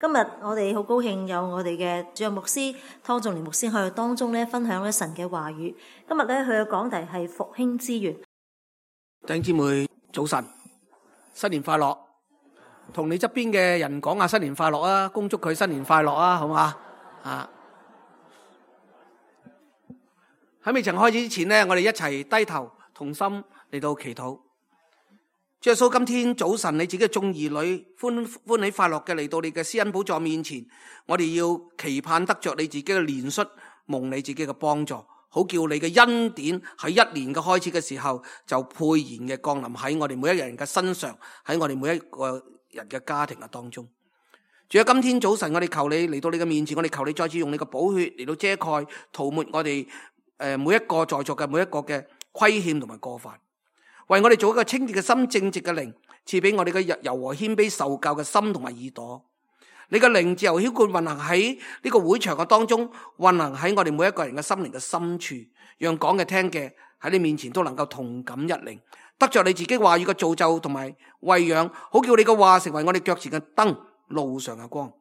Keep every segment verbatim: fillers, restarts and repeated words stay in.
今日我哋好高興有我哋嘅主任牧師湯仲年牧師喺度當中咧分享咧神嘅話語。今日咧佢嘅講題係復興之源。弟兄姊妹早晨，新年快樂！同你側邊嘅人講下新年快樂啊，恭祝佢新年快樂啊，好嘛？啊！喺未曾開始之前呢，我哋一齊低頭同心嚟到祈禱。主耶穌，今天早晨你自己嘅眾兒女歡歡喜快樂嘅嚟到你嘅施恩寶座面前，我哋要期盼得着你自己嘅憐恤，蒙你自己嘅幫助，好叫你嘅恩典喺一年嘅開始嘅時候就沛然嘅降臨喺我哋每一個人嘅身上，喺我哋每一個人嘅家庭嘅當中。主啊，今天早晨我哋求你嚟到你嘅面前，我哋求你再次用你嘅寶血嚟到遮蓋塗抹我哋誒每一個在座嘅每一個嘅虧欠同埋過犯。為我哋做一個清潔嘅心、正直嘅靈，賜俾我哋嘅柔和謙卑受教嘅心同埋耳朵。你嘅靈自由澆灌運行喺呢個會場嘅當中，運行喺我哋每一個人嘅心靈嘅深處，讓講嘅聽嘅喺你面前都能夠同感一靈，得着你自己話語嘅造就同埋餵養，好叫你嘅話成為我哋腳前嘅燈，路上嘅光。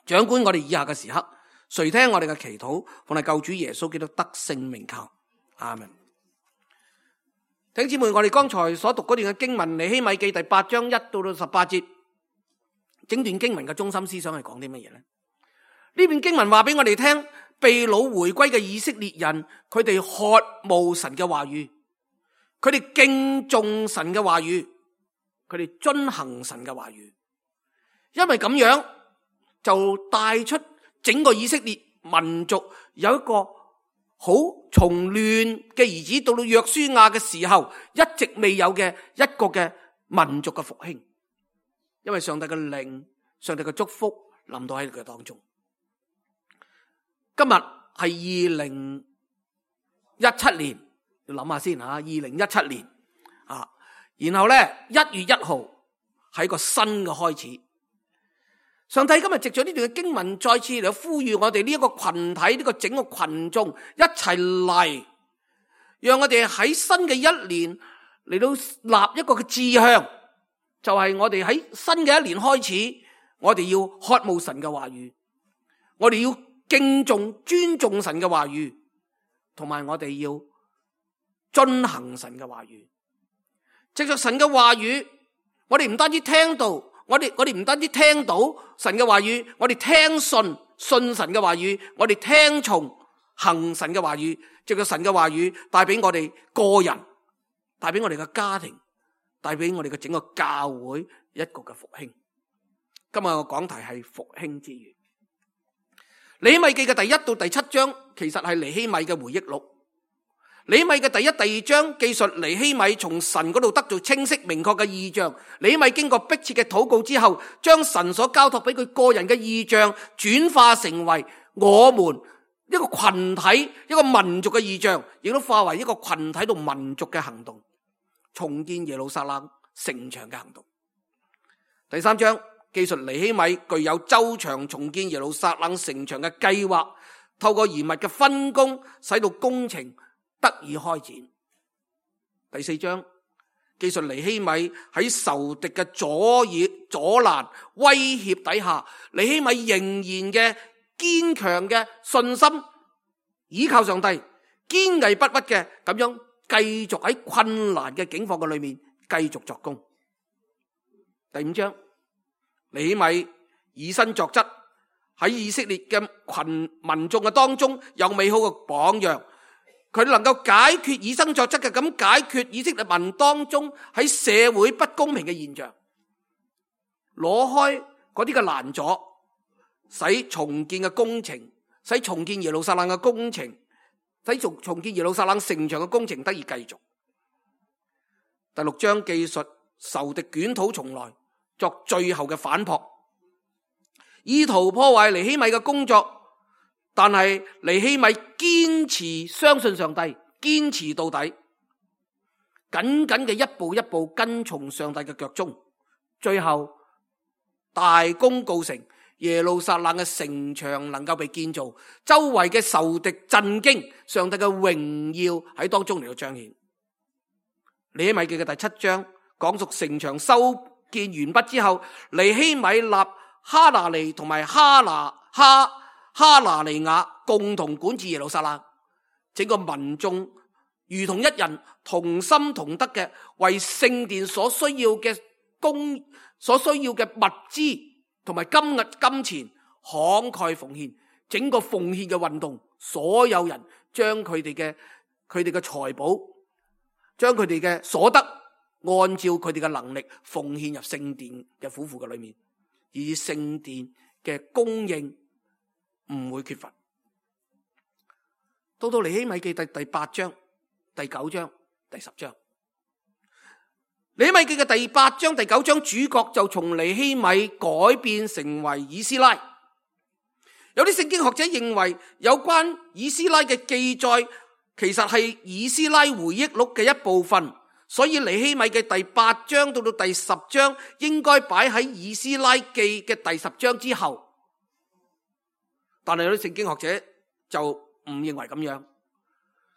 掌管我哋以下嘅時刻，垂聽我哋嘅祈禱，奉係救主耶穌基督得勝名求，阿們。弟兄姊妹，我哋剛才所讀嗰段嘅經文，尼希米記第八章一到到十八節，整段經文嘅中心思想係講啲乜嘢呢？呢段經文話俾我哋聽，被擄回歸嘅以色列人，佢哋渴慕神嘅話語，佢哋敬重神嘅話語，佢哋遵行神嘅話語，因為咁樣就帶出整個以色列民族有一個好從亂嘅兒子到到約書亞嘅時候，一直未有嘅一個嘅民族嘅復興，因為上帝嘅靈、上帝嘅祝福臨到喺佢當中。今日係二零一七年，要諗下先吓，二零一七年啊，然後咧一月一號係個新嘅開始。上帝今日藉咗呢段嘅經文，再次嚟呼籲我哋呢一個群體，呢個整個群眾一齊嚟，讓我哋喺新嘅一年嚟到立一個嘅志向，就係我哋喺新嘅一年開始，我哋要渴慕神嘅話語，我哋要敬重尊重神嘅話語，同埋我哋要遵行神嘅話語。藉着神嘅話語，我哋唔單止聽到。我哋我哋唔單止聽到神嘅話語，我哋聽信信神嘅話語，我哋聽從行神嘅話語，藉着神嘅話語帶俾我哋個人，帶俾我哋嘅家庭，帶俾我哋嘅整個教會一個嘅復興。今日嘅講題係復興之源。尼希米記嘅第一到第七章其實係尼希米嘅回憶錄。尼希米嘅第一、第二章記述尼希米從神嗰度得到清晰明確嘅異象。尼希米經過迫切嘅禱告之後，將神所交託俾佢個人嘅異象轉化成為我們一個群體、一個民族嘅異象，亦都化為一個群體同民族嘅行動，重建耶路撒冷城牆嘅行動。第三章記述尼希米具有周詳重建耶路撒冷城牆嘅計劃，透過嚴密嘅分工，使到工程得以開展。第四章記述尼希米喺仇敵嘅阻擾、阻攔、威脅底下，尼希米仍然嘅堅強嘅信心，依靠上帝，堅毅不屈嘅咁樣繼續喺困難嘅境況嘅裏面繼續作工。第五章尼希米以身作則，喺以色列嘅群民眾嘅當中有美好嘅榜樣。佢能夠解決以身作則嘅咁解決以色列民當中喺社會不公平嘅現象，攞開嗰啲嘅攔阻，使重建嘅工程，使重建耶路撒冷嘅工程，使重重建耶路撒冷城牆嘅工程得以繼續。第六章記述仇敵捲土重來，作最後嘅反撲，意圖破壞尼希米嘅工作。但係尼希米堅持相信上帝，堅持到底，緊緊嘅一步一步跟從上帝嘅腳蹤，最後大功告成，耶路撒冷嘅城牆能夠被建造，周圍嘅仇敵震驚，上帝嘅榮耀喺當中嚟到彰顯。尼希米記嘅第七章講述城牆修建完畢之後，尼希米立哈拿尼同埋哈拿哈哈拿尼亞共同管治耶路撒冷，整個民眾如同一人，同心同德嘅為聖殿所需要嘅供所需要嘅物資同埋金銀金錢慷慨奉獻。整個奉獻嘅運動，所有人將佢哋嘅佢哋嘅財寶，將佢哋嘅所得，按照佢哋嘅能力奉獻入聖殿嘅府庫嘅裏面，以聖殿嘅供應唔會缺乏。到到尼希米記第第八章、第九章、第十章，尼希米記嘅第八章、第九章主角就從尼希米改變成為以斯拉。有啲聖經學者認為，有關以斯拉嘅記載其實係以斯拉回憶錄嘅一部分，所以尼希米嘅第八章到到第十章應該擺喺以斯拉記嘅第十章之後。但係有啲聖經學者就唔認為咁樣，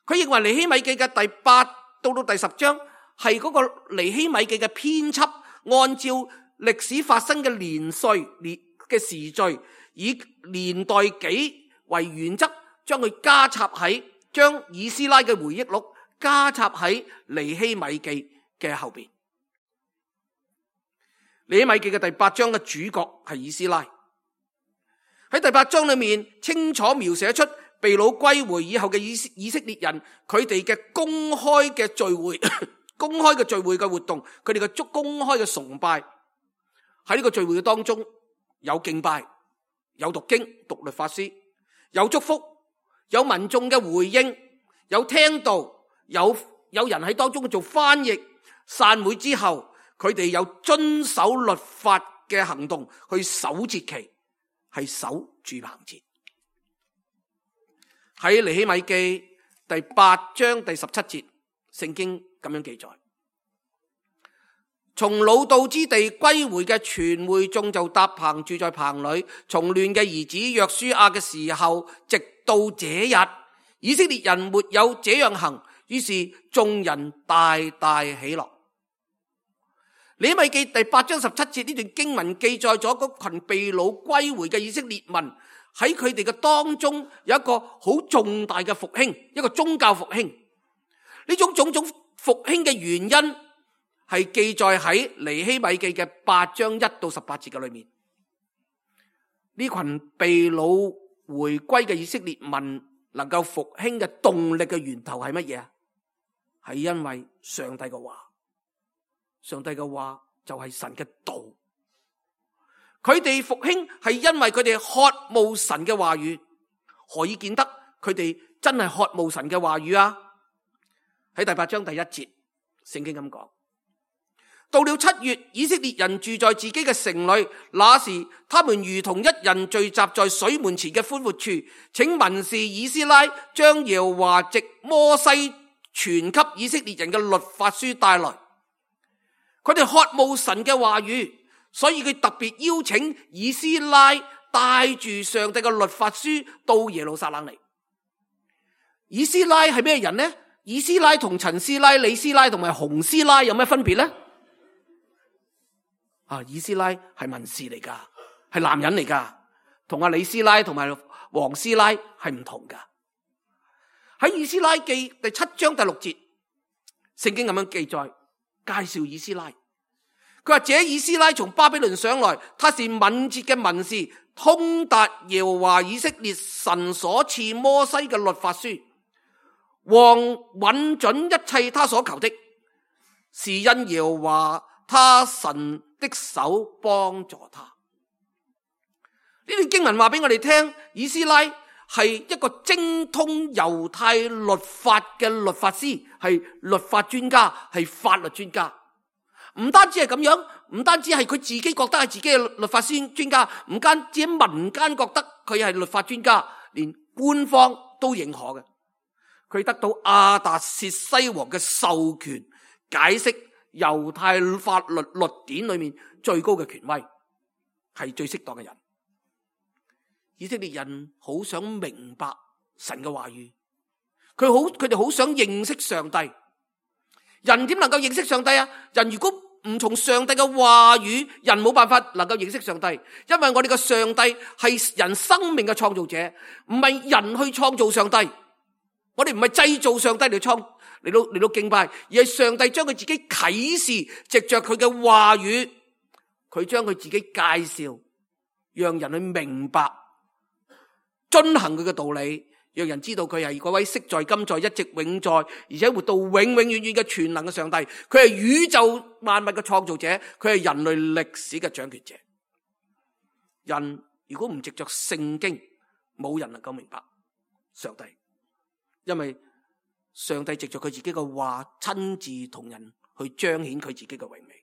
佢認為尼希米記嘅第八到到第十章係嗰個尼希米記嘅編輯，按照歷史發生嘅年歲年嘅時序，以年代紀為原則，將佢加插喺將以斯拉嘅回憶錄加插喺尼希米記嘅後邊。尼希米記嘅第八章嘅主角係以斯拉。喺第八章裏面清楚描寫出被擄歸回以後嘅以以色列人，佢哋嘅公開嘅聚會公開嘅聚會嘅活動，佢哋嘅公開嘅崇拜。喺呢個聚會嘅當中，有敬拜，有讀經讀律法書，有祝福，有民眾嘅回應，有聽道，有有人喺當中做翻譯。散會之後，佢哋有遵守律法嘅行動，去守節期，係守住棚節。喺尼希米記第八章第十七節，聖經咁樣記載：從擄到之地歸回嘅全會眾就搭棚住在棚裏。從亂嘅兒子約書亞嘅時候，直到這日，以色列人沒有這樣行，於是眾人大大喜樂。尼希米記第八章十七節呢段經文記載咗嗰群被擄歸回嘅以色列民，喺佢哋嘅當中有一個好重大嘅復興，一個宗教復興。呢種種種復興嘅原因係記載喺尼希米記嘅八章一到十八節嘅裏面。呢群被擄回歸嘅以色列民能夠復興嘅動力嘅源頭係乜嘢啊？係因為上帝嘅話，上帝嘅話就係神嘅道。佢哋復興係因為佢哋渴慕神嘅話語。何以見得佢哋真係渴慕神嘅話語啊？喺第八章第一節，聖經咁講：到了七月，以色列人住在自己嘅城裏，那時他們如同一人聚集在水門前嘅寬闊處，請文士以斯拉將耶和華藉摩西傳給以色列人嘅律法書帶來。佢哋渴慕神嘅話語，所以佢特別邀請以斯拉帶住上帝嘅律法書到耶路撒冷嚟。以斯拉係咩人呢？以斯拉同陳斯拉、李斯拉同埋洪斯拉有咩分別呢？啊，以斯拉係文士嚟噶，係男人嚟噶，同阿李斯拉同埋黃斯拉係唔同噶。喺以斯拉記第七章第六節，聖經咁樣記載介紹以斯拉。佢話：這以斯拉從巴比倫上來，他是敏捷嘅文士，通達耶和華以色列神所賜摩西嘅律法書。王允准一切他所求的，是因耶和華他神的手幫助他。呢段經文話俾我哋聽，以斯拉係一個精通猶太律法嘅律法師，係律法專家，係法律專家。唔單止係咁樣，唔單止係佢自己覺得係自己嘅律法師專家，唔單止喺民間覺得佢係律法專家，連官方都認可嘅。佢得到亞達薛西王嘅授權，解釋猶太法律律典裏面最高嘅權威，係最適當嘅人。以色列人好想明白神嘅話語，佢好佢哋好想認識上帝。人點能夠認識上帝啊？人如果唔從上帝嘅話語，人冇辦法能夠認識上帝，因為我哋嘅上帝係人生命嘅創造者，唔係人去創造上帝。我哋唔係製造上帝嚟創嚟到嚟到敬拜，而係上帝將佢自己啟示，藉着佢嘅話語，佢將佢自己介紹，讓人去明白，遵行佢嘅道理，讓人知道佢係嗰位昔在今在一直永在，而且活到永永遠遠嘅全能嘅上帝。佢係宇宙萬物嘅創造者，佢係人類歷史嘅掌權者。人如果唔藉着聖經，冇人能夠明白上帝，因為上帝藉着佢自己嘅話，親自同人去彰顯佢自己嘅榮美。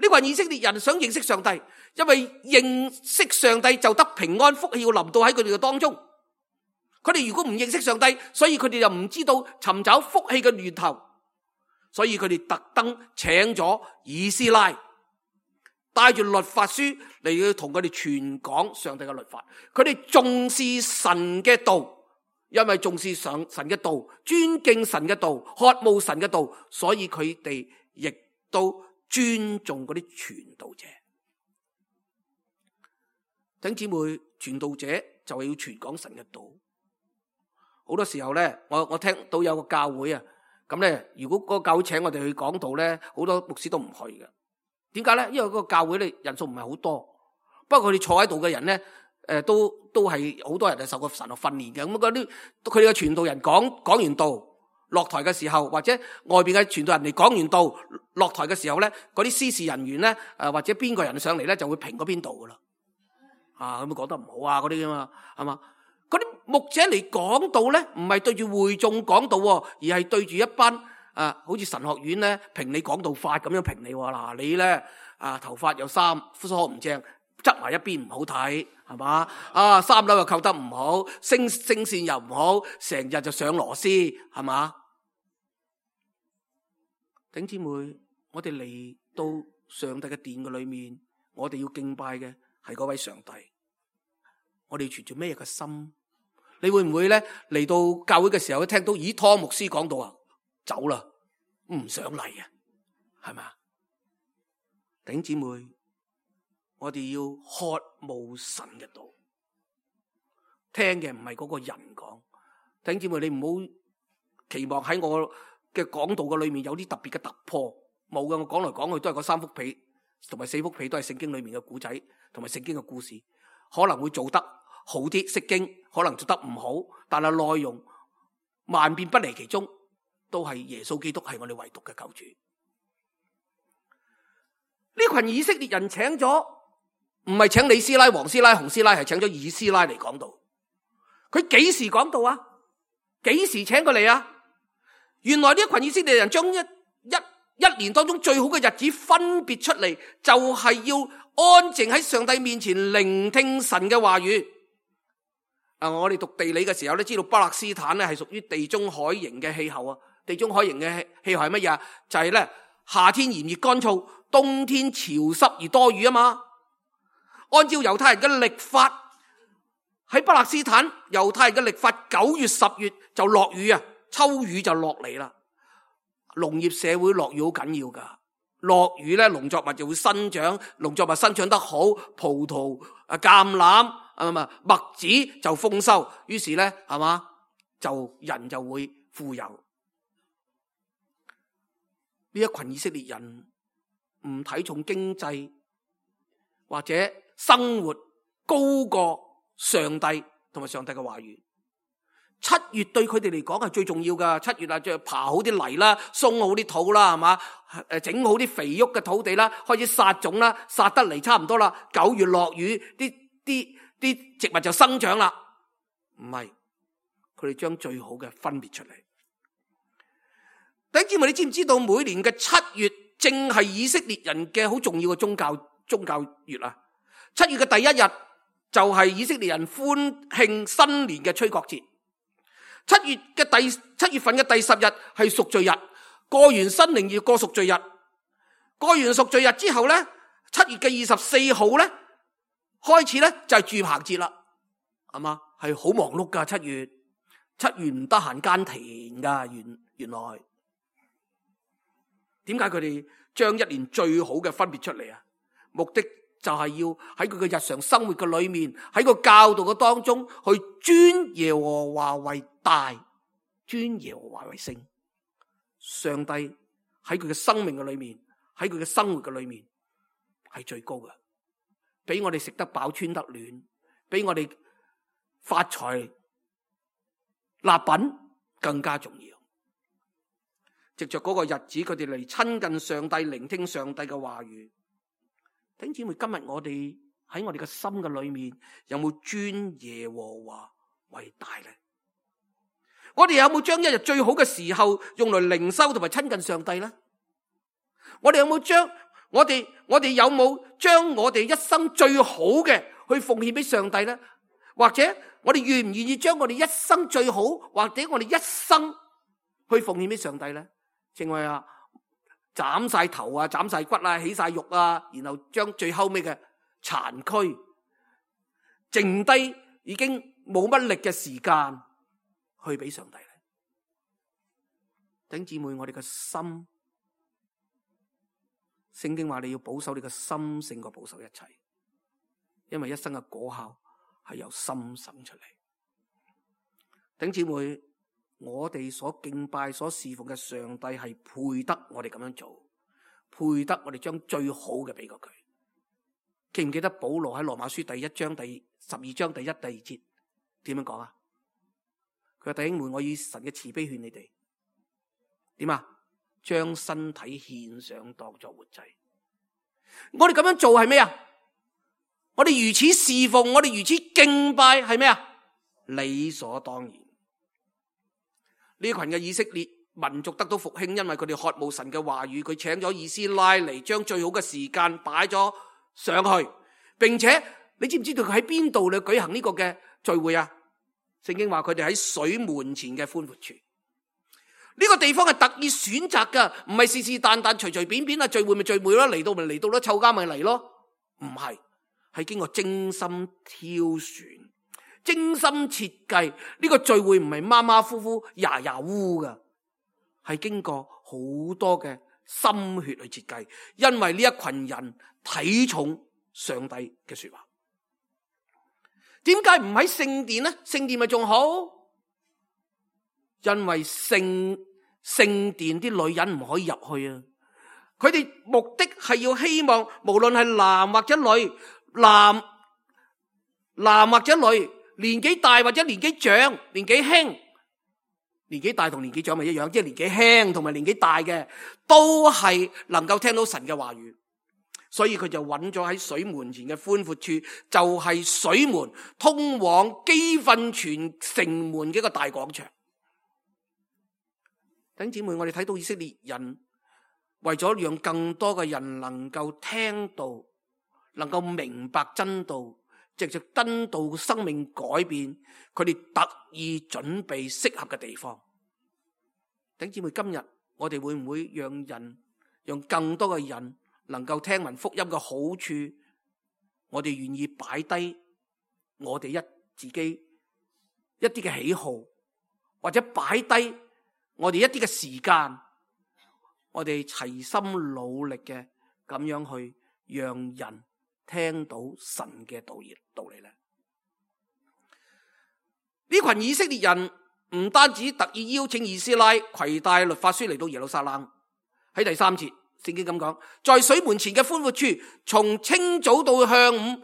呢個係以色列人想認識上帝，因為認識上帝就得平安，福氣要臨到喺佢哋嘅當中。佢哋如果唔認識上帝，所以佢哋就唔知道尋找福氣嘅源頭，所以佢哋特登請咗以斯拉，帶住律法書嚟要同佢哋傳講上帝嘅律法。佢哋重視神嘅道，因為重視上神嘅道，尊敬神嘅道，渴慕神嘅道，所以佢哋亦都尊重嗰啲傳道者。弟兄姊妹，傳道者就係要傳講神嘅道。好多時候咧，我我聽到有個教會啊，咁咧，如果嗰個教會請我哋去講道咧，好多牧師都唔去嘅。點解咧？因為嗰個教會咧人數唔係好多，不過佢哋坐喺度嘅人咧，誒都都係好多人係受過神學訓練嘅。咁嗰啲佢哋嘅傳道人講講完道落台嘅時候，或者外邊嘅傳道人嚟講完道落台嘅時候咧，嗰啲司事人員咧，誒或者邊個人上嚟咧，就會評嗰邊度噶啦。啊，咁講得唔好啊，嗰啲噶嘛，係嘛？嗰啲牧者嚟講道咧，唔係對住會眾講道，而係對住一班啊，好似神學院咧評你講道法咁樣評你。嗱，你咧啊頭髮有三梳唔正，側埋一邊唔好睇，係嘛？啊三樓又扣得唔好，聲聲線又唔好，成日就上螺絲，係嘛？弟兄姊妹，我哋嚟到上帝嘅殿嘅裏面，我哋要敬拜嘅係嗰位上帝。我哋存住咩嘅心？你會唔會咧嚟到教會嘅時候，聽到以湯牧師講到啊，走啦，唔想嚟啊，係咪？弟兄姊妹，我哋要渴慕神嘅道，聽嘅唔係嗰個人講。弟兄姊妹，你唔好期望喺我嘅講道嘅裏面有啲特別嘅突破，冇嘅。我講嚟講去都係嗰三幅被同埋四幅被，都係聖經裏面嘅故仔同埋聖經嘅故事，可能會做得好啲，釋經可能做得唔好，但係內容萬變不離其中，都係耶穌基督係我哋唯獨嘅救主。呢群以色列人請咗，唔係請李師奶、黃師奶、洪師奶，係請咗以斯拉嚟講道。佢幾時講道啊？幾時請佢嚟啊？原來呢一群以色列人將一一一年當中最好嘅日子分別出嚟，就係要安靜喺上帝面前聆聽神嘅話語。啊！我哋讀地理嘅時候咧，知道巴勒斯坦咧係屬於地中海型嘅氣候啊。地中海型嘅氣候係乜嘢？就係咧夏天炎熱乾燥，冬天潮濕而多雨啊嘛。按照猶太人嘅曆法，喺巴勒斯坦猶太人嘅曆法，九月十月就落雨啊，秋雨就落嚟啦。農業社會落雨好緊要噶，落雨咧農作物就會生長，農作物生長得好，葡萄啊、橄欖啊嘛麥子就豐收，於是咧係嘛就人就會富有。呢一群以色列人唔睇重經濟或者生活高過上帝同埋上帝嘅話語。七月對佢哋嚟講係最重要噶，七月啊，就爬好啲泥啦，鬆好啲土啦，係嘛？誒，整好啲肥沃嘅土地啦，開始撒種啦，撒得嚟差唔多啦。九月落雨，啲啲啲植物就生長啦。唔係，佢哋將最好嘅分別出嚟。弟兄姊妹，你知唔知道每年嘅七月正係以色列人嘅好重要嘅宗教宗教月啊？七月嘅第一日就係以色列人歡慶新年嘅吹角節。七月嘅第七月份嘅第十日係贖罪日，過完新年要過贖罪日，過完贖罪日之後咧，七月嘅二十四號咧開始咧就係住棚節啦，係嘛？係好忙碌噶，七月七月唔得閒耕田噶，原原來點解佢哋將一年最好嘅分別出嚟啊？目的就係要喺佢嘅日常生活嘅裏面，喺個教導嘅當中去尊耶和華為大，尊耶和華為聖。上帝喺佢嘅生命嘅裏面，喺佢嘅生活嘅裏面係最高嘅，比我哋食得飽穿得暖，比我哋發財立品更加重要。藉着嗰個日子，佢哋嚟親近上帝，聆聽上帝嘅話語。弟兄姊妹，今日我哋喺我哋嘅心嘅裏面，有冇尊耶和華為大呢？我哋有冇將一日最好嘅時候用來靈修同埋親近上帝呢？我哋有冇將我哋我哋有冇將我哋一生最好嘅去奉獻俾上帝呢？或者我哋願唔願意將我哋一生最好，或者我哋一生去奉獻俾上帝呢？正話啊，斬晒頭啊，斬晒骨啊，起晒肉啊，然後將最後尾嘅殘軀，剩低已經冇乜力嘅時間去俾上帝咧。弟兄姊妹，我哋嘅心，聖經話你要保守你嘅心勝過保守一切，因為一生嘅果效係由心生出嚟。弟兄姊妹，我哋所敬拜、所侍奉嘅上帝係配得我哋咁樣做，配得我哋將最好嘅俾過佢。記唔記得保羅喺羅馬書第一章第十二章第一、第二節點樣講啊？佢話，弟兄們，我以神嘅慈悲勸你哋，點啊？將身體獻上當作活祭。我哋咁樣做係咩啊？我哋如此侍奉，我哋如此敬拜係咩啊？理所當然。呢群嘅以色列民族得到復興，因為佢哋渴慕神嘅話語，佢請咗以斯拉嚟，將最好嘅時間擺咗上去，並且你知唔知道佢喺邊度嚟舉行呢個嘅聚會啊？聖經話佢哋喺水門前嘅寬闊處，呢個地方係特意選擇噶，唔係是是但但隨隨便便啊聚會咪聚會咯，嚟到咪嚟到咯，湊家咪嚟咯，唔係，係經過精心挑選、精心設計。呢個聚會唔係馬馬虎虎、牙牙烏噶，係經過好多嘅心血去設計，因為呢一群人睇重上帝嘅說話。點解唔喺聖殿呢？聖殿咪仲好？因為聖聖殿啲女人唔可以入去啊！佢哋目的係要希望，無論係男或者女，男男或者女，年紀大或者年紀長，年紀輕，年紀大同年紀長咪一樣，即係年紀輕同埋年紀大嘅，都係能夠聽到神嘅話語。所以佢就揾咗喺水門前嘅寬闊處，就係水門通往基訓泉城門嘅一個大廣場。弟兄姊妹，我哋睇到以色列人為咗讓更多嘅人能夠聽到，能夠明白真道，藉着真道生命改變，佢哋特意準備適合嘅地方。弟兄姊妹，今日我哋會唔會讓人，讓更多嘅人能夠聽聞福音嘅好處，我哋願意擺低我哋一自己一啲嘅喜好，或者擺低我哋一啲嘅時間，我哋齊心努力嘅咁樣去讓人聽到神嘅道義道理咧。呢群以色列人唔單止特意邀請以斯拉攜帶律法書嚟到耶路撒冷，喺第三節聖經咁講，在水門前嘅寬闊處，從清早到晌午，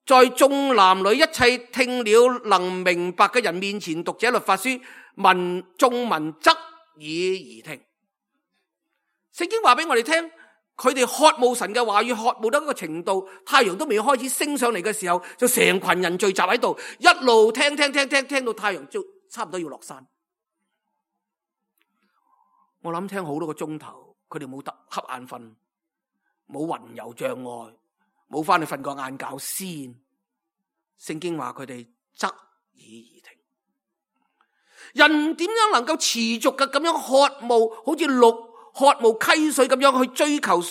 在眾男女一切聽了能明白嘅人面前讀這律法書，民眾民側耳而聽。聖經話俾我哋聽，佢哋渴慕神嘅話語，渴慕到一個程度，太陽都未開始升上嚟嘅時候，就成群人聚集喺度，一路聽聽聽聽聽到太陽就差唔多要落山。我諗聽好多個鐘頭，佢哋冇得瞌眼瞓，冇魂遊障礙，冇翻去瞓個晏覺先。聖經話佢哋側耳而聽。人點樣能夠持續嘅咁樣渴慕，好似鹿渴慕溪水咁樣去追求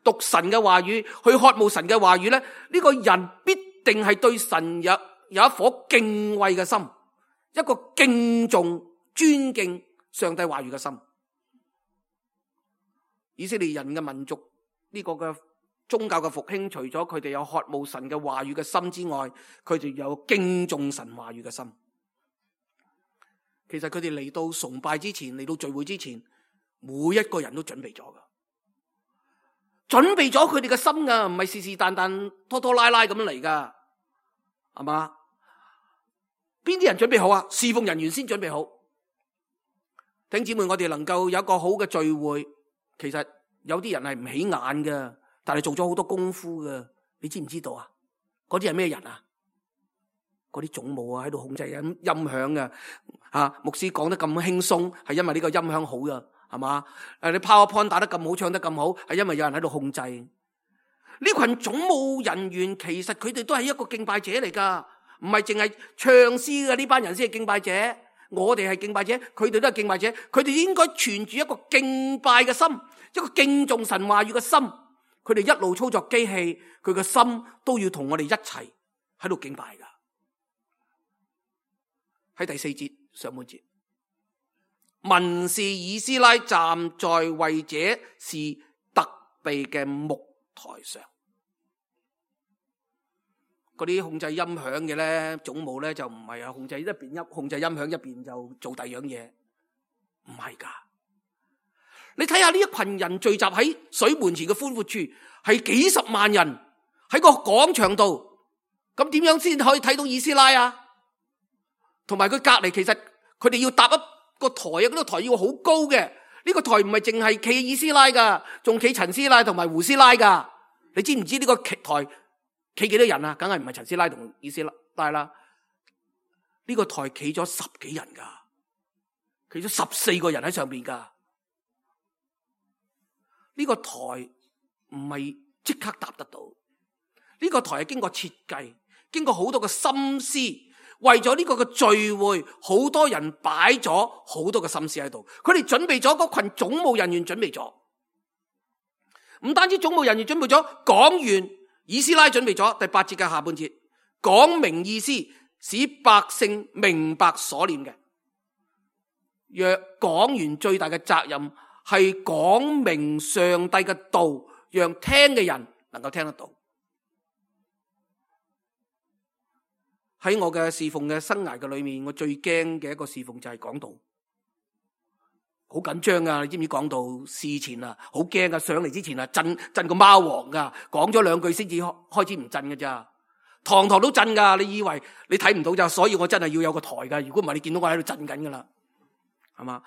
讀神嘅話語，去渴慕神嘅話語咧？呢、這個人必定係對神有有一顆敬畏嘅心，一個敬重尊敬上帝話語嘅心。以色列人嘅民族呢個嘅宗教嘅復興，除咗佢哋有渴慕神嘅話語嘅心之外，佢哋有敬重神話語嘅心。其實佢哋嚟到崇拜之前，嚟到聚會之前，每一個人都準備咗噶，準備咗佢哋嘅心噶，唔係是是但但拖拖拉拉咁嚟噶，係嘛？邊啲人準備好啊？侍奉人員先準備好。弟兄姊妹，我哋能夠有一個好嘅聚會，其實有啲人係唔起眼嘅，但係做咗好多功夫嘅，你知唔知道啊？嗰啲係咩人啊？嗰啲總務啊，喺度控制緊音響嘅。啊，牧師講得咁輕鬆，係因為呢個音響好噶，係嘛？誒，你 PowerPoint 打得咁好，唱得咁好，係因為有人喺度控制。呢群總務人員其實佢哋都係一個敬拜者嚟噶，唔係淨係唱詩嘅呢班人先係敬拜者。我哋係敬拜者，佢哋都係敬拜者。佢哋應該存住一個敬拜嘅心，一個敬重神話語嘅心。佢哋一路操作機器，佢嘅心都要同我哋一齊喺度敬拜噶。喺第四節上半節，文士以斯拉站在為這事特備嘅木台上。嗰啲控制音響嘅咧，總務咧就唔係啊，控制一邊音控制音響一邊就做第二樣嘢，唔係噶。你睇下呢一群人聚集喺水門前嘅寬闊處，係幾十萬人喺個廣場度，咁點樣先可以睇到以斯拉啊？同埋佢隔籬，其實佢哋要搭一個台啊，嗰個台要好高嘅。呢個台唔係淨係企以斯拉噶，仲企陳師奶同埋胡師奶噶。你知唔知呢個台企幾多人啊？梗係唔係陳師奶同以斯拉啦。呢個台企咗十幾人噶，企咗十四個人喺上邊噶。呢個台唔係即刻搭得到，呢個台係經過設計，經過好多嘅心思，為咗呢個嘅聚會，好多人擺咗好多嘅心思喺度。佢哋準備咗，嗰群總務人員準備咗，唔單止總務人員準備咗，講員以斯拉準備咗。第八節嘅下半節講明意思，使百姓明白所念嘅。若講員最大嘅責任係講明上帝嘅道，讓聽嘅人能夠聽得到。喺我嘅侍奉嘅生涯嘅裏面，我最驚嘅一個侍奉就係講道，好緊張啊！你知唔知講道事前啊，好驚啊！上嚟之前啊，震震個貓王噶，講咗兩句先至開始唔震噶咋，堂堂都震噶。你以為你睇唔到咋？所以我真係要有個台噶，如果唔係你見到我喺度震緊噶啦，係嘛？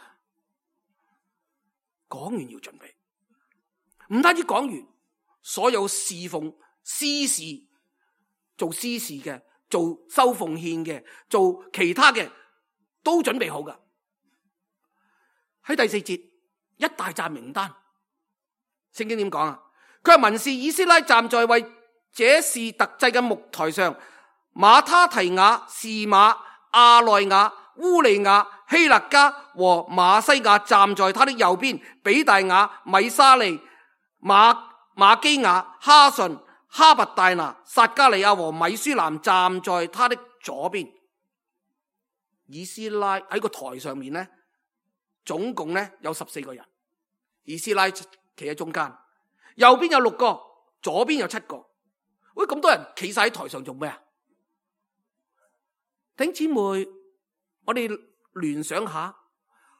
講完要準備，唔單止講完，所有侍奉司事做司事嘅，做收奉獻嘅，做其他嘅都準備好噶。喺第四節一大紮名單，聖經點講啊？佢係文士以斯拉站在為這事特製嘅木台上，馬他提雅、示瑪、亞內雅、烏利亞、希勒家和馬西亞站在他的右邊，比大雅、米沙利、馬馬基亞、哈順、哈拔大拿、撒加利亞和米舒南站在他的左邊。以斯拉喺個台上面呢，總共呢有十四個人。以斯拉企喺中間，右邊有六個，左邊有七個。喂，咁多人企晒喺台上做咩啊？弟兄姊妹，我哋聯想下，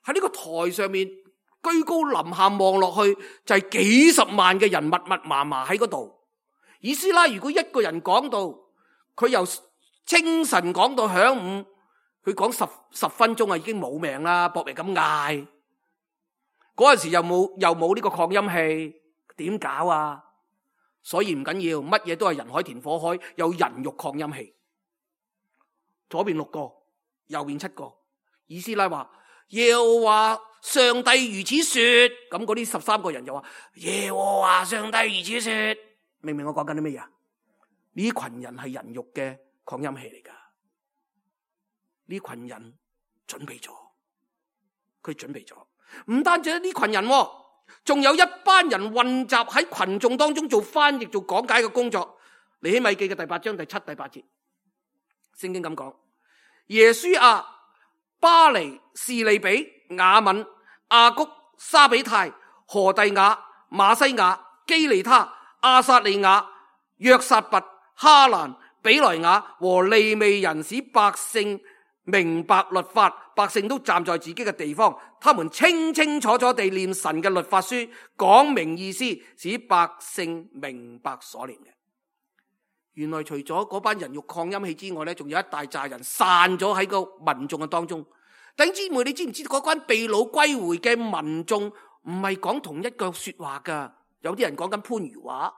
喺呢個台上面居高臨下望落去，就係幾十萬嘅人密密麻麻喺嗰度。以斯拉如果一個人講到，佢由清晨講到晌午，佢講十十分鐘啊，已經冇命啦，搏命咁嗌。嗰陣時又冇又冇呢個擴音器，點搞啊？所以唔緊要，乜嘢都係人海填火海，有人肉擴音器。左邊六個，右邊七個。以斯拉話耶和華上帝如此說，咁嗰啲十三個人就話耶和華上帝如此說。明唔明我講緊啲乜嘢啊？呢群人係人肉嘅擴音器嚟噶，呢群人準備咗，佢準備咗，唔單止呢群人，仲有一班人混雜喺群眾當中做翻譯、做講解嘅工作。尼希米記嘅第八章第七、第八節，聖經咁講：耶書亞、巴尼、士利比、雅敏、亞谷、沙比泰、何第雅、馬西亞、基利他、亞撒利亞、約撒拔、哈蘭、比萊雅和利未人，使百姓明白律法，百姓都站在自己嘅地方，他們清清楚楚地念神嘅律法書，講明意思，使百姓明白所念嘅。原來除咗嗰班人肉擴音器之外咧，仲有一大扎人散咗喺個民眾嘅當中。弟兄姊妹，你知唔知嗰班被擄歸回嘅民眾唔係講同一句說話噶？有啲人講緊番禺話，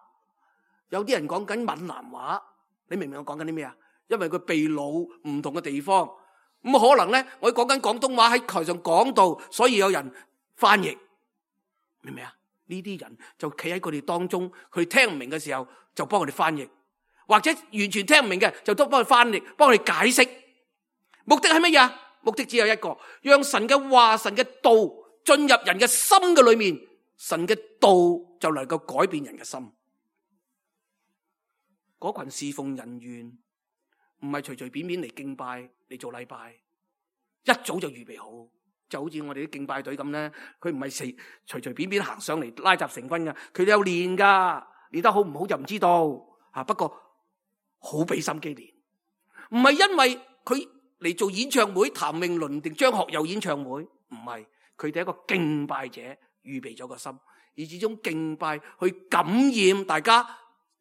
有啲人講緊閩南話。你明唔明我講緊啲咩啊？因為佢被擄唔同嘅地方，咁可能咧，我講緊廣東話喺台上講道，所以有人翻譯，明唔明啊？呢啲人就企喺佢哋當中，佢聽唔明嘅時候就幫佢哋翻譯。或者完全聽唔明嘅，就都幫佢翻譯，幫佢解釋。目的係乜嘢？目的只有一個，讓神嘅話、神嘅道進入人嘅心嘅裏面，神嘅道就能夠改變人嘅心。嗰群侍奉人員唔係隨隨便便嚟敬拜嚟做禮拜，一早就預備好，就好似我哋啲敬拜隊咁咧，佢唔係隨隨隨便便行上嚟拉雜成軍噶，佢哋有練噶，練得好唔好就唔知道啊。不過好俾心機練，唔係因為佢嚟做演唱會，譚詠麟定張學友演唱會，唔係，佢哋一個敬拜者預備咗個心，而這種敬拜去感染大家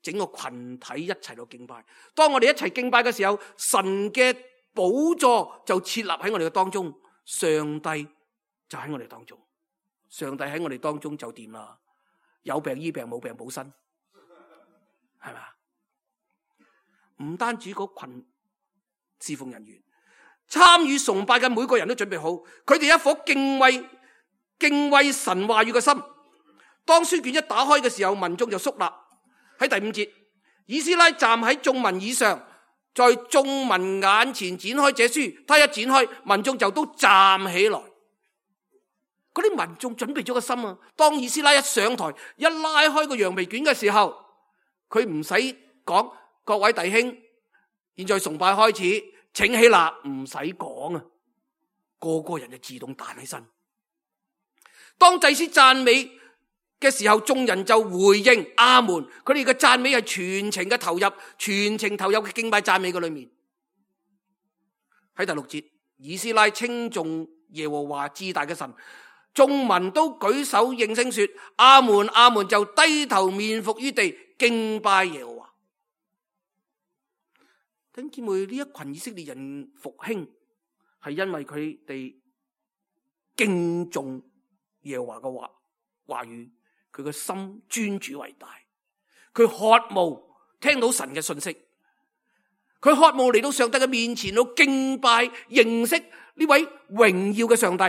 整個群體一齊到敬拜。當我哋一齊敬拜嘅時候，神嘅寶座就設立喺我哋嘅當中，上帝就喺我哋當中，上帝喺我哋當中就掂啦，有病醫病，冇病補身，係咪？唔單止嗰群侍奉人員，參與崇拜嘅每個人都準備好，佢哋一顆敬畏敬畏神話語嘅心。當書卷一打開嘅時候，民眾就肅立。喺第五節，以斯拉站喺眾民以上，在眾民眼前展開這書，他一展開，民眾就都站起來。嗰啲民眾準備咗個心啊！當以斯拉一上台，一拉開個羊皮卷嘅時候，佢唔使講。各位弟兄，現在崇拜開始，請起立，唔使講啊，個個人就自動彈起身。當祭司讚美嘅時候，眾人就回應阿門。佢哋嘅讚美係全程嘅投入，全程投入嘅敬拜讚美嘅裏面。喺第六節，以斯拉稱頌耶和華至大嘅神，眾民都舉手應聲說阿門阿門，就低頭面伏於地敬拜耶和華。弟兄姊妹，呢一群以色列人復興係因為佢哋敬重耶和華嘅話話語，佢個心尊主為大，佢渴慕聽到神嘅信息，佢渴慕嚟到上帝嘅面前，到敬拜認識呢位榮耀嘅上帝。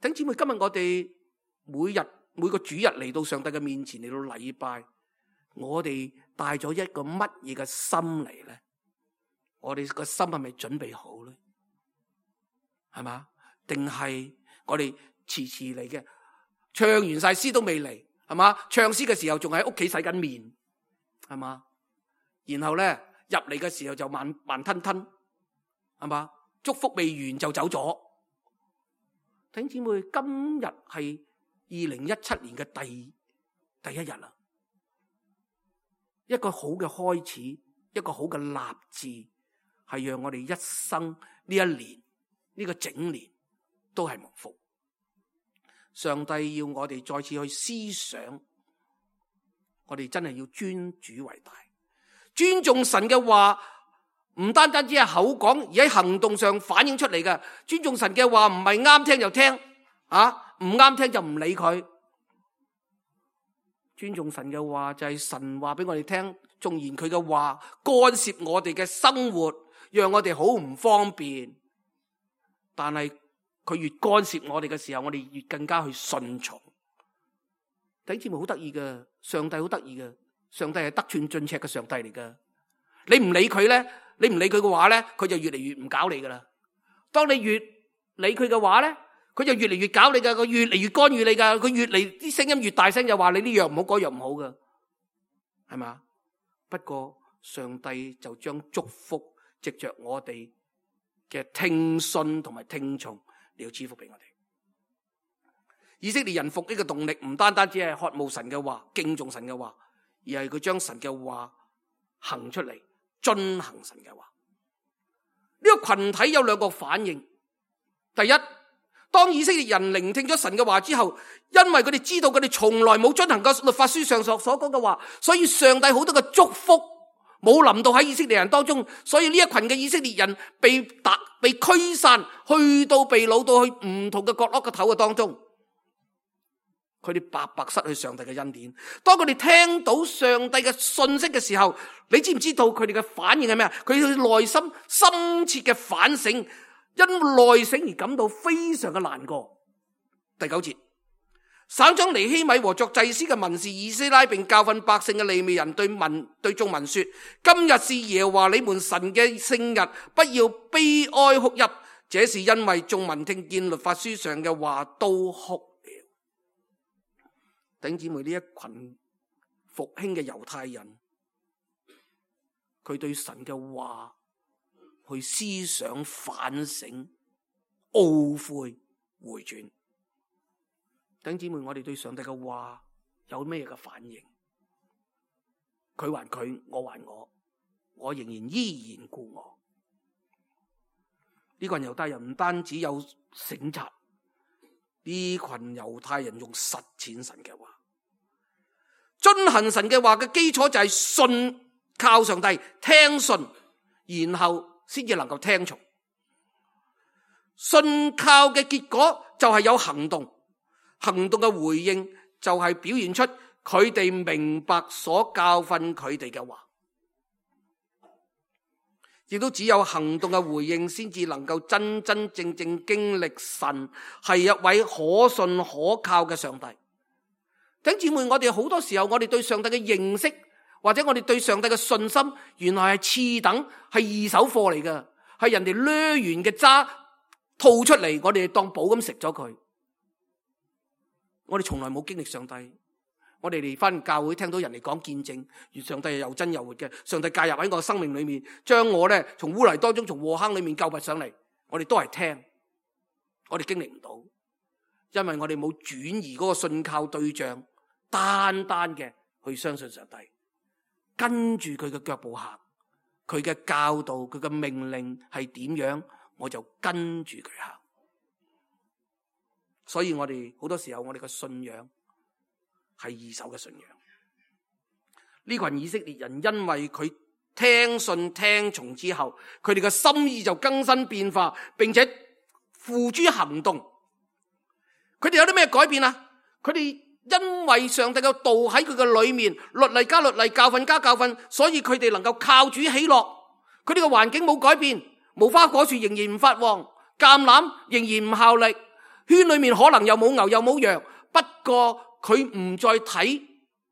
弟兄姊妹，今日我哋每日每個主日嚟到上帝嘅面前嚟到禮拜，我哋帶咗一個乜嘢嘅心嚟咧？我哋個心係咪準備好咧？係嘛？定係我哋遲遲嚟嘅？唱完晒詩都未嚟，係嘛？唱詩嘅時候仲喺屋企洗緊面，係嘛？然後咧入嚟嘅時候就慢慢吞吞，係嘛？祝福未完就走咗。弟兄姊妹，今日係二零一七年嘅第第一日啦，一個好嘅開始，一個好嘅立志。係讓我哋一生呢一年呢個整年都係蒙福。上帝要我哋再次去思想，我哋真係要尊主為大，尊重神嘅話，唔單單只係口講，而喺行動上反映出嚟嘅。尊重神嘅話唔係啱聽就聽，啊唔啱聽就唔理佢。尊重神嘅話就係神話俾我哋聽，縱然佢嘅話干涉我哋嘅生活，讓我哋好唔方便，但係佢越干涉我哋嘅時候，我哋越更加去順從。弟兄姊妹，好得意嘅，上帝好得意嘅，上帝係得寸進尺嘅上帝嚟噶。你唔理佢咧，你唔理佢嘅話咧，佢就越嚟越唔搞你噶啦。當你越理佢嘅話咧，佢就越嚟越搞你噶，佢越嚟越干預你噶，佢越嚟啲聲音越大聲，就話你呢樣唔好，嗰樣唔好噶，係嘛？不過上帝就將祝福藉着我哋嘅聽信同埋聽從，你要賜福俾我哋。以色列人復興嘅動力唔單單只係渴慕神嘅話、敬重神嘅話，而係佢將神嘅話行出嚟，遵行神嘅話。呢個群體有兩個反應。第一，當以色列人聆聽咗神嘅話之後，因為佢哋知道佢哋從來冇遵行過律法書上所所講嘅話，所以上帝好多嘅祝福冇臨到喺以色列人當中，所以呢一群嘅以色列人被打、被驅散，去到被擄到去唔同嘅角落嘅頭嘅當中，佢哋白白失去上帝嘅恩典。當佢哋聽到上帝嘅信息嘅時候，你知唔知道佢哋嘅反應係咩啊？佢哋內心深切嘅反省，因內省而感到非常嘅難過。第九節，省長尼希米和作祭司嘅文士以斯拉，並教訓百姓嘅利未人對民對眾民說：今日是耶和華你們神嘅聖日，不要悲哀哭泣。這是因為眾民聽見律法書上嘅話都哭了。弟兄姊妹，呢一群復興嘅猶太人，佢對神嘅話去思想反省、懊悔、回轉。弟兄姊妹，我哋對上帝嘅話有咩嘅反應？佢還佢，我還我，我仍然依然故我。呢群猶太人唔單止有省察，呢群猶太人用實踐神嘅話，遵行神嘅話嘅基礎就係信靠上帝，聽信，然後先至能夠聽從。信靠嘅結果就係有行動，行動嘅回應就係表現出佢哋明白所教訓佢哋嘅話，亦都只有行動嘅回應先至能夠真真正正經歷神係一位可信可靠嘅上帝。弟兄姊妹，我哋好多時候我哋對上帝嘅認識，或者我哋對上帝嘅信心，原來係次等，係二手貨嚟嘅，係人哋掠完嘅渣吐出嚟，我哋當寶咁食咗佢。我哋從來冇經歷上帝，我哋嚟翻教會聽到人哋講見證，而上帝係又真又活嘅，上帝介入喺我生命裏面，將我咧從污泥當中，從禍坑裏面救拔上嚟，我哋都係聽，我哋經歷唔到，因為我哋冇轉移嗰個信靠對象，單單嘅去相信上帝，跟住佢嘅腳步行，佢嘅教導，佢嘅命令係點樣，我就跟住佢行。所以我哋好多時候我哋嘅信仰係二手嘅信仰。呢群以色列人因為佢聽信聽從之後，佢哋嘅心意就更新變化，並且付諸行動。佢哋有啲咩改變啊？佢哋因為上帝嘅道喺佢嘅裏面，律例加律例，教訓加教訓，所以佢哋能夠靠主喜樂。佢哋嘅環境冇改變，無花果樹仍然唔發旺，橄欖仍然唔效力，圈裏面可能又冇牛又冇羊，不過佢唔再睇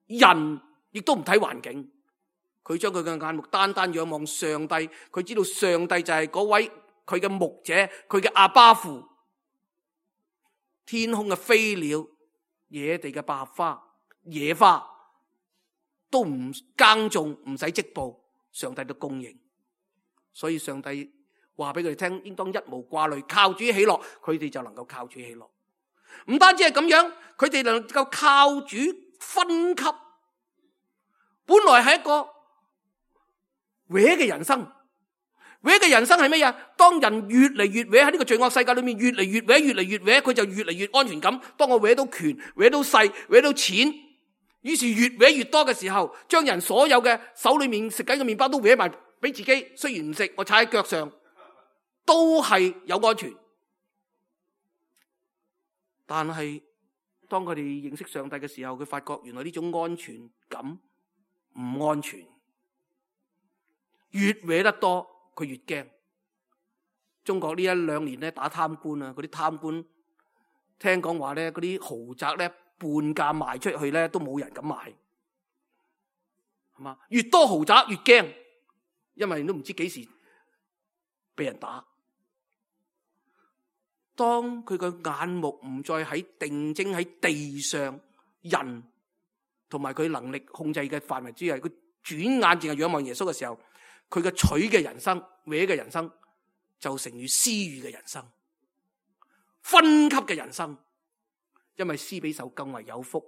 人，亦都唔睇環境，佢將佢嘅眼目單單仰望上帝。佢知道上帝就係嗰位佢嘅牧者，佢嘅阿爸父。天空嘅飛鳥、野地嘅百合花、野花都唔耕種，唔使織布，上帝都供應。所以上帝話俾佢哋聽，應當一無掛慮，靠主喜樂，佢哋就能夠靠主喜樂。唔單止係咁樣，佢哋能夠靠主分級。本來係一個歪嘅人生，歪嘅人生係咩呀？當人越嚟越歪喺呢個罪惡世界裏面，越嚟越歪，越嚟越歪，佢就越嚟越安全感。當我歪到權，歪到勢，歪到錢，於是越歪越多嘅時候，將人所有嘅手裏面食緊嘅麵包都歪埋俾自己。雖然唔食，我踩喺腳上都係有安全。但係當佢哋認識上帝嘅時候，佢發覺原來呢種安全感唔安全，越搲得多佢越驚。中國呢一兩年咧打貪官啊，嗰啲貪官聽講話咧，嗰啲豪宅咧半價賣出去咧都冇人敢買，係嘛？越多豪宅越驚，因為都唔知幾時俾人打。當佢嘅眼目唔再喺定睛喺地上人同埋佢能力控制嘅範圍之下，佢轉眼淨係仰望耶穌嘅時候，佢嘅取嘅人生、歪嘅人生就成於私欲嘅人生、分級嘅人生。因為施比受更為有福。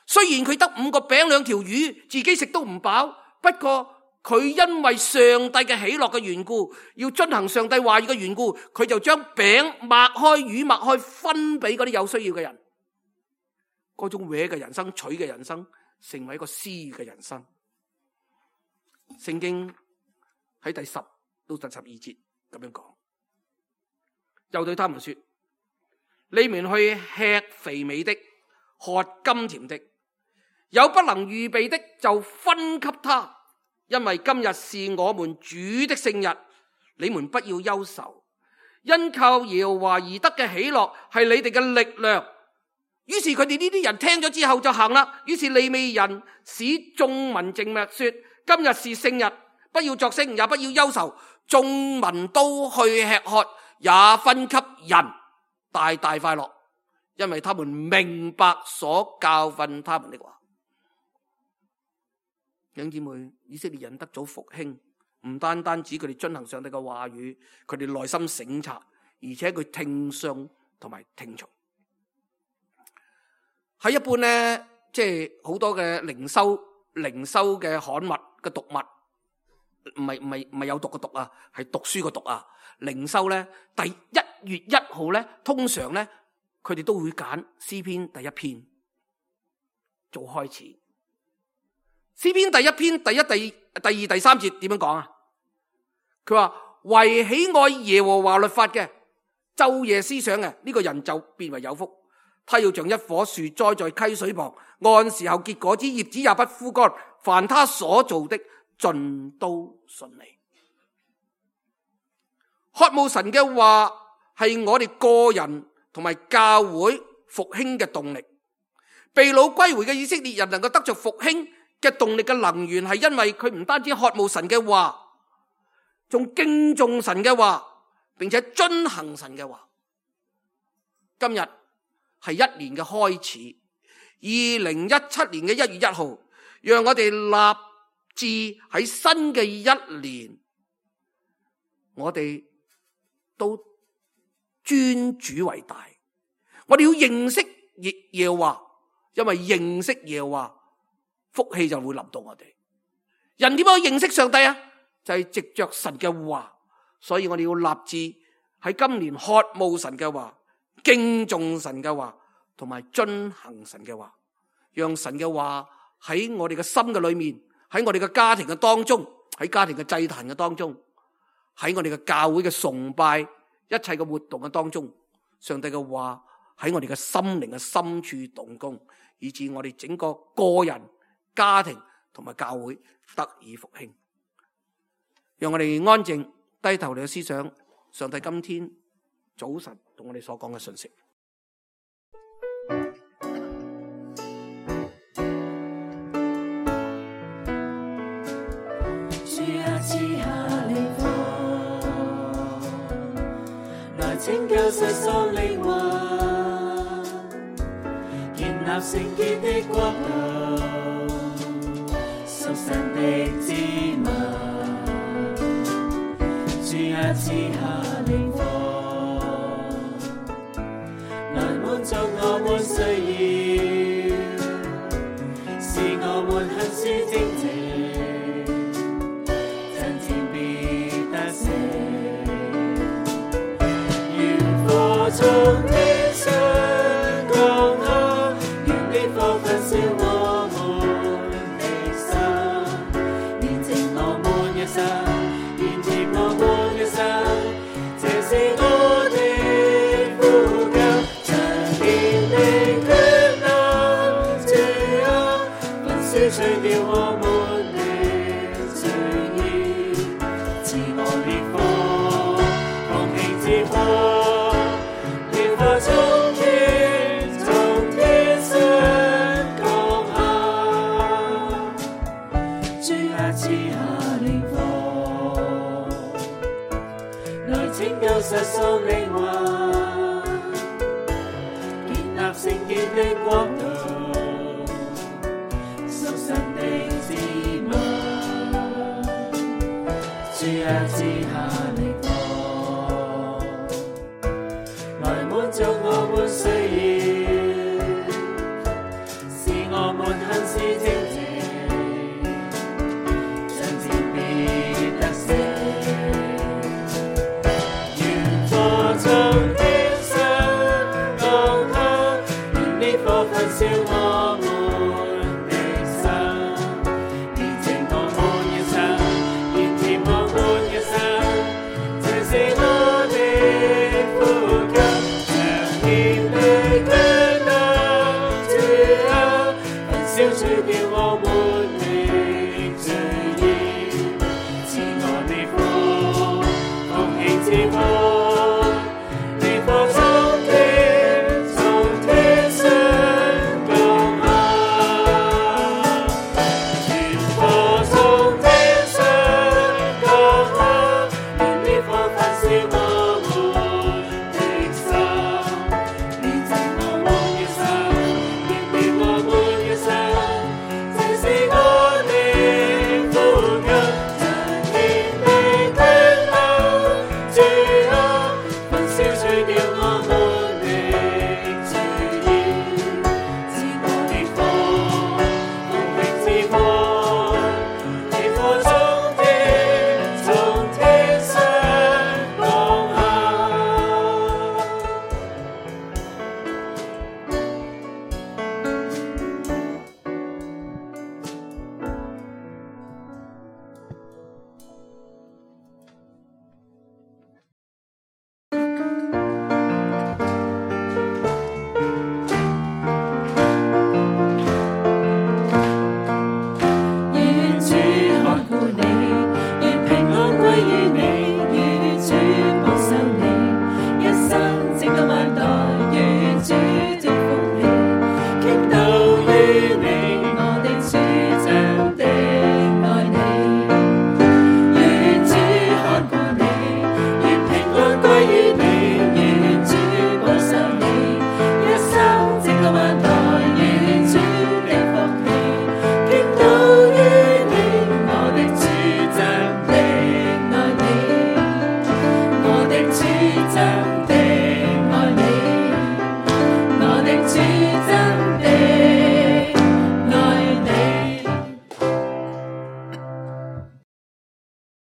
雖然佢得五個餅兩條魚，自己食都唔飽，不過佢因為上帝嘅喜樂嘅緣故，要遵行上帝話語嘅緣故，佢就將餅擘開，魚擘開，分俾嗰啲有需要嘅人。嗰種搲嘅人生，取嘅人生，成為一個施嘅人生。聖經喺第十到第十二節咁樣講，又對他們說：你們去吃肥美的，喝甘甜的，有不能預備的就分給他，因為今日是我們主的聖日，你們不要憂愁，因靠耶和華而得嘅喜樂係你哋嘅力量。於是佢哋呢啲人聽咗之後就行啦。於是利未人使眾民靜默說：今日是聖日，不要作聲，也不要憂愁。眾民都去吃喝，也分給人，大大快樂，因為他們明白所教訓他們的話。弟兄姊妹，以色列人得咗復興，唔單單指佢哋遵行上帝嘅話語，佢哋內心省察，而且佢聽信同埋聽從。喺一般咧，即係好多嘅靈修、靈修嘅刊物嘅讀物，唔係唔係唔係有讀嘅讀啊，係讀書嘅讀啊。靈修咧，第一月一號咧，通常咧，佢哋都會揀詩篇第一篇做開始。詩篇第一篇第一、第第二、第三節點樣講啊？佢話：為喜愛耶和華律法嘅，晝夜思想嘅，呢個人就變為有福。他要像一棵樹栽在溪水旁，按時候結果子，葉子也不枯乾。凡他所做的，盡都順利。渴慕神嘅話係我哋個人同埋教會復興嘅動力。被擄歸回嘅以色列人能夠得着復興嘅動力嘅能源，係因為佢唔單止渴慕神嘅話，仲敬重神嘅話，並且遵行神嘅話。今日係一年嘅開始，二零一七年嘅一月一號，讓我哋立志喺新嘅一年，我哋都尊主為大。我哋要認識耶和華，因為認識耶和華，福氣就會臨到我哋。人點樣認識上帝啊？就係藉着神嘅話，所以我哋要立志喺今年渴慕神嘅話，敬重神嘅話，同埋遵行神嘅話，讓神嘅話喺我哋嘅心嘅裏面，喺我哋嘅家庭嘅當中，喺家庭嘅祭壇嘅當中，喺我哋嘅教會嘅崇拜一切嘅活動嘅當中，上帝嘅話喺我哋嘅心靈嘅深處動工，以致我哋整個個人、家庭同埋教會得以復興。讓我哋安靜低頭嚟思想上帝今天早晨同我哋所講嘅信息。主啊，賜下靈火，來拯救世上靈魂，建立聖潔的國度，屬神的子民。主啊，賜下靈火，來滿足我們需要，使我們行事正直，真正必得勝。願火從天上降下，願烈火焚燒我們的心，煉淨我們嘅心。這是我的呼救，長年的艱難，主啊，焚燒除掉我們的罪孽，賜我烈火，放棄之火，烈火從天從天上降下，主啊，賜下烈火，來拯救世上靈魂，建立聖潔的國度，屬神的子民。主啊，賜下烈火，來滿足我們需要，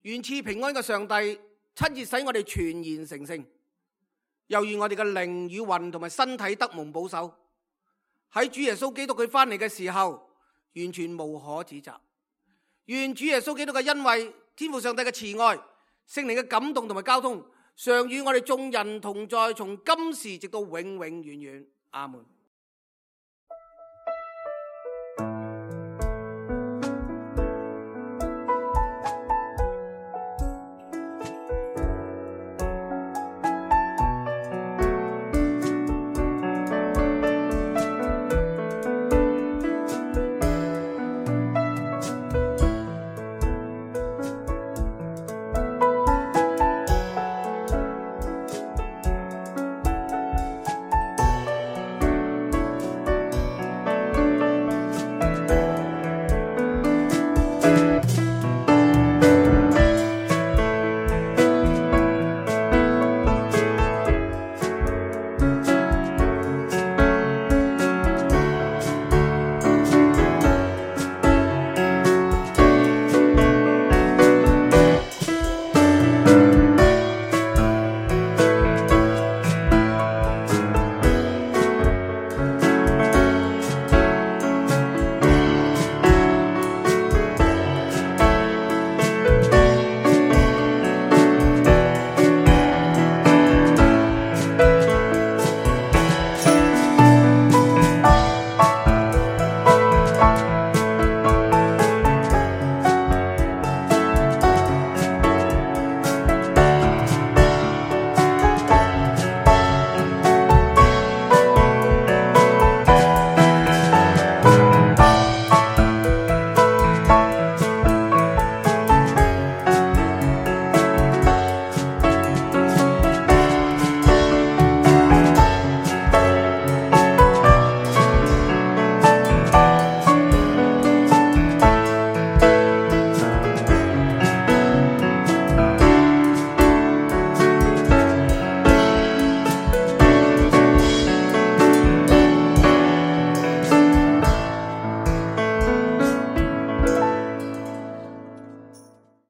願賜平安嘅上帝親自使我哋全然成聖，又願我哋嘅靈與魂同埋身體得蒙保守，喺主耶穌基督佢翻嚟嘅時候完全無可指責。願主耶穌基督嘅恩惠、天父上帝嘅慈愛、聖靈嘅感動同埋交通常與我哋眾人同在，從今時直到永永遠遠。阿門。